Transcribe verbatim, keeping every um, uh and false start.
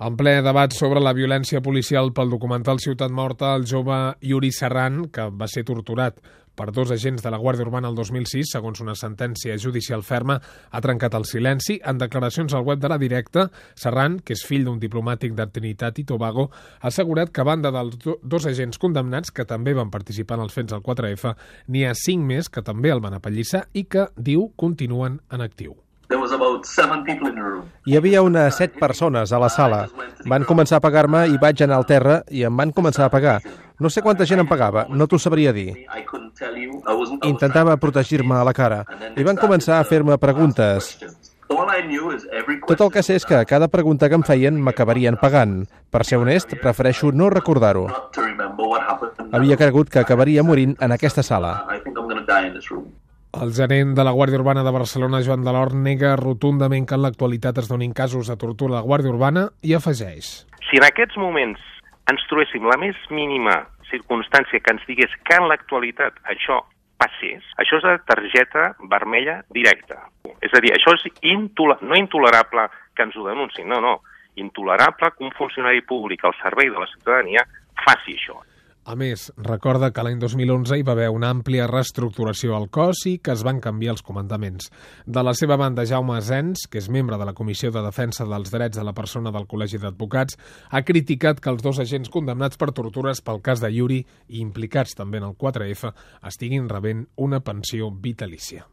En ple debat sobre la violència policial pel documental Ciutat Morta, el jove Yuri Serrán, que va ser torturat per dos agents de la Guàrdia Urbana el dos mil sis, segons una sentència judicial ferma, ha trencat el silenci. En declaracions al web de La Directa, Serrán, que és fill d'un diplomàtic de Trinitat i Tobago, ha assegurat que a banda dels dos agents condemnats, que també van participar en els fets del quatre efa, n'hi ha cinc més que també el van apallissar i que, diu, continuen en actiu. Hi havia unes set persones a la sala. Van començar a pagar-me i vaig anar al terra i em van començar a pagar. No sé quanta gent em pagava, no t'ho sabria dir. Intentava protegir-me a la cara i van començar a fer-me preguntes. Tot el que sé és que cada pregunta que em feien m'acabarien pagant. Per ser honest, prefereixo no recordar-ho. Havia cregut que acabaria morint en aquesta sala. El gerent de la Guàrdia Urbana de Barcelona, Joan Delort, nega rotundament que en l'actualitat es donin casos de tortura a la Guàrdia Urbana i afegeix: Si en aquests moments ens trobéssim la més mínima circumstància que ens digués que en l'actualitat això passés, això és de targeta vermella directa. És a dir, això és intoler- no intolerable que ens ho denunciïn, no, no. Intolerable que un funcionari públic al servei de la ciutadania faci això. A més, recorda que l'any dos mil onze hi va haver una àmplia reestructuració al cos i que es van canviar els comandaments. De la seva banda, Jaume Asens, que és membre de la Comissió de Defensa dels Drets de la Persona del Col·legi d'Advocats, ha criticat que els dos agents condemnats per tortures pel cas de Yuri i implicats també en el quatre efa estiguin rebent una pensió vitalícia.